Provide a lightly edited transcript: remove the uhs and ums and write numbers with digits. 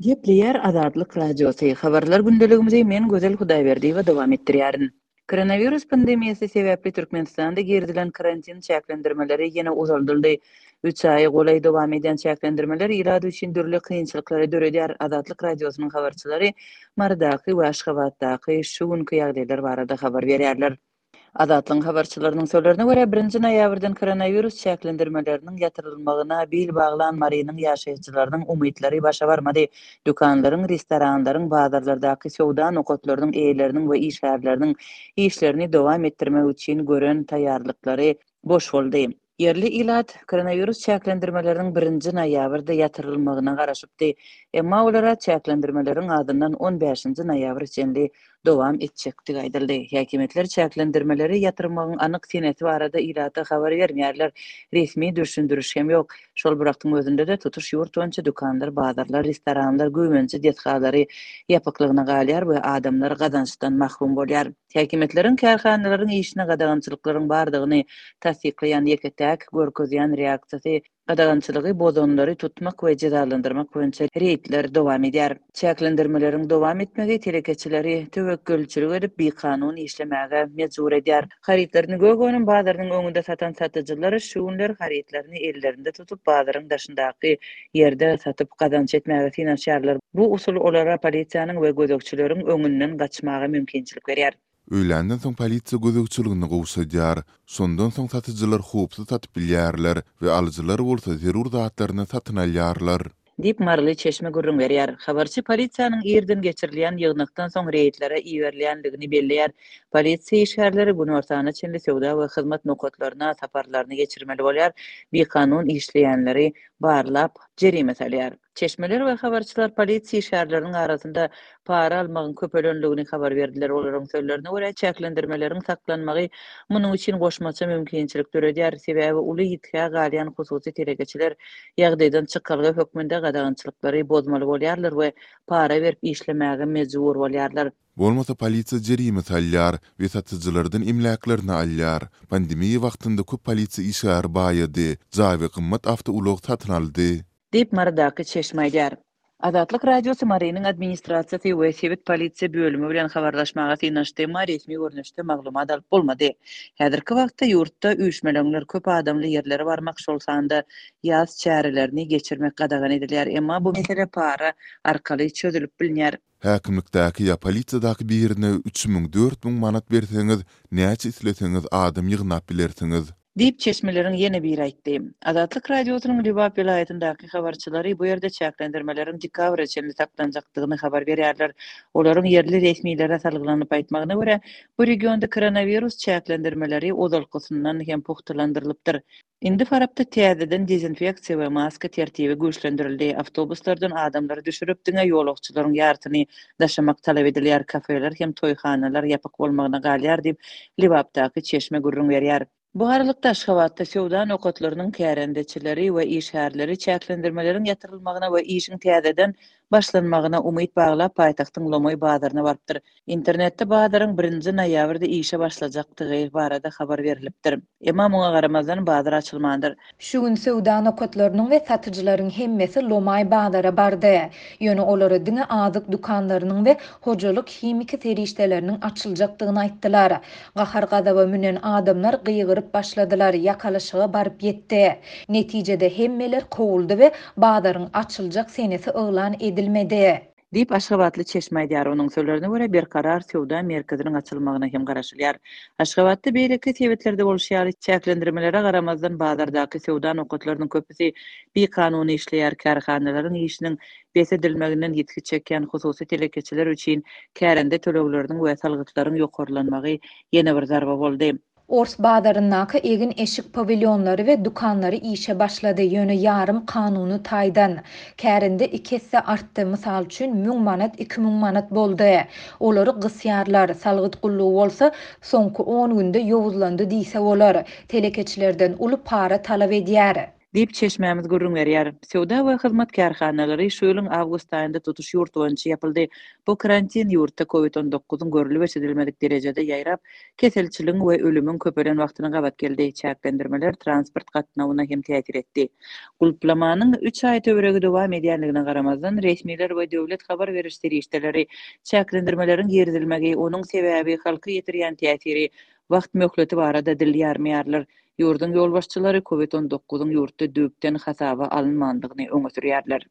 Gepleýär Azatlyk Radiosy, Habarlar gündeligimizi men Gözel Hudaýberdiýewa dowam etdirýärin. Koronawirus pandemiýasy sebäpli Türkmenistanda girizilen karantin çäklendirmeleri ýene uzaldyldy. Üç aýa golaý dowam edýän çäklendirmeler ilat üçin dürli kynçylyklary döredýär. Azatlyk Radiosynyň habarçylary Marydaky we Aşgabatdaky şu günki ýagdaýlar barada habar berýärler. Azatlygyň habarçylarynyň sözlerine görä, birinji noýabrdan koronawirus çäklendirmeleriniň ýatyrylmagyna bil baglan Marynyň ýaşaýjylarynyň umytlary başa barmady. Dükanlaryň, restoranlaryň, bazarlardaky söwda nokatlarynyň eýeleriniň we işgärleriniň işlerini dowam etdirmek üçin gören taýýarlyklary boş boldy. Ýerli ilat koronawirus çäklendirmeleriniň birinji noýabrda ýatyrylmagyna garaşypdy. Emma olara çäklendirmeleriň azyndan on bäşinji noýabra çenli dowam etjekdigi aýdyldy. Häkimiýetler çäklendirmeleri ýatyrmagyň anyk senesi barada ilata habar bermeýärler, resmi düşündiriş hem ýok. Şol bir wagtyň özünde-de, tutuş ýurt boýunça dükanlar, bazarlar, restoranlar, güýmenje desgalary ýapyklygyna galýar we adamlar gazançdan mahrum bolýar. Häkimiýetleriň kärhanalaryň işine gadagançylyklaryň bardygyny tassyklaýan ýeke-täk görkezýän reaksiýasy gadagançylygy bozanlary tutmak we jezalandyrmak boýunça reýdler dowam edýär. Çäklendirmeleriň dowam etmegi telekeçileri töwekgelçilik edip bikanun işlemäge mejbur edýär. Harytlaryny gök önüm bazarynyň öňünde satan satyjylar şu günler harytlaryny ellerinde tutup bazaryň daşyndaky ýerde satyp gazanç etmäge synanyşýarlar. Bu usul olara polisiýanyň we gözegçileriň öňünden gaçmaga mümkinçilik berýär. Öýländen soň polisiýa gözegçiligini gowşadýar. Şondan soň satyjylar howpsuz satyp bilýärler we alyjylar bolsa zerur zatlaryny satyn alýarlar. Diýip, maryly çeşme gürrüň berýär. Habarçy polisiýanyň irden geçirilýän ýygnakdan soň reýdlere iberilýändigini belleýär. Polisiýa işgärleri günortana çenli söwda we hyzmat nokatlaryna saparlaryny geçirmeli bolýar, bikanun işleýänleri barlap, jerime salýar. Çeşmeler we habarçylar polisiýa işgärleriniň arasynda para almagyň köpelendigini habar berdiler. Olaryň sözlerine görä, çäklendirmeleriň saklanmagy munuň üçin goşmaça mümkinçilik döredýär, sebäbi uly ýitgä galýan hususy telekeçiler ýagdaýdan çykalga hökmünde gadagançylyklary bozmaly bolýarlar we para berip işlemäge mejbur bolýarlar. Bolmasa polisiýa jerime salýar we satyjylardan emläklerini alýar. Pandemiýa wagtynda köp polisiýa işgäri baýady, jaý we gymmat awtoulag satyn aldy. Diýip, Marydaky çeşme aýdýar. Azatlyk Radiosy Marynyň administrasiýasy we sebit polisiýa bölümi bilen habarlaşmaga synanyşdy, emma resmi görnüşde maglumat alyp bolmady. Häzirki wagtda ýurtda üýşmeleňler, köp adamly ýerlere barmak, şol sanda ýas çärelerini geçirmek gadagan edilýär. Emma bu mesele para arkaly çözülip bilinýär. Häkimlikdäki ýa polisiýadaky birine 3000, 4000 manat berseňiz, näçe isleseňiz adam ýygnap bilersiňiz. Diýip, çeşmeleriň ýene biri aýtdy. Azatlyk Radiosynyň Lebap welaýatyndaky habarçylary bu ýerde çäklendirmeleriň dekabra çenli saklanjakdygyny habar berýärler. Olaryň ýerli resmilere salgylanyp aýtmagyna görä, bu regionda koronawirus çäklendirmeleri ozalkysyndan hem pugtalandyrylypdyr. Indi Farapda täzeden dezinfeksiýa we maska tertibi güýçlendirildi, awtobuslardan adamlary düşürip, diňe ýolagçylaryň ýarsyny daşamak talap edilýär, kafeler hem toýhanalar ýapyk bolmagyna galýar diýip, Lebapdaky çeşme gürrüň berýär. Bu aralykda, Aşgabatda söwda nokatlarynyň kärendeçileri we işgärleri çäklendirmeleriň ýatyrylmagyna we işiň täzeden başlanmagyna umyt baglap, paýtagtyň lomaý bazaryna barypdyr. Internetde bazaryň birinji noýabrda işe başlajakdygy barada habar berlipdir. Emma muňa garamazdan, bazar açylmandyr. Şu gün söwda nokatlarynyň we satyjylaryň hemmesi lomaý bazara bardy. Ýöne olara diňe azyk dükanlarynyň we hojalyk himiki serişdeleriniň açyljakdygyny aýtdylar. Gahar-gazaba münen adamlar gygyryp başladylar, ýakalaşyga baryp ýetdi. Netijede hemmeler kowuldy we bazaryň açyljak senesi yglan edilmedi. Diýip, aşgabatly çeşme aýdýar. Onuň sözlerine görä, Berkarar söwda merkeziniň açylmagyna hem garaşylýar. Aşgabatda beýleki sebitlerde bolşy ýaly, çäklendirmelere garamazdan, bazardaky söwda nokatlarynyň köpüsi bikanun işleýär, kärhanalaryň işiniň bes edilmeginden ýitgi çekýän hususy telekeçiler üçin kärende tölegleriniň we salgytlaryň ýokarlanmagy ýene bir zarba boldy. Ors bazaryndaky egin-eşik pawilýonlary we dükanlary işe başlady, ýöne ýarym kanuny taýdan. Kärende iki esse artdy, mysal üçin, müň manat 2000 manat boldy. Olary gysýarlar, salgyt gullugy bolsa soňky on günde ýowuzlandy diýse bolar, telekeçilerden uly para talap edýär. Diýip, çeşmämiz gürrüň berýär. Söwda we hyzmat kärhanalary şu ýylyň awgust aýynda tutuş ýurt boýunça ýapyldy. Bu karantin ýurtda Covid on dokuzyň görlüp-eşidilmedik derejede ýaýrap, keselçiligiň we ölümiň köpelen wagtyna gabat geldi. Çäklendirmeler transport gatnawyna hem täsir etdi. Gulplamanyň üç aý töweregi dowam edýändigine garamazdan, resmiler we döwlet habar beriş serişdeleri çäklendirmeleriň girizilmegi, onuň sebäbi, halka ýetirýän täsiri, wagt möhleti barada dil ýarmaýarlar. Ýurduň ýolbaşçylary Covid on dokuzyň ýurtda düýpden hasaba alynmandygyny öňe sürýärler.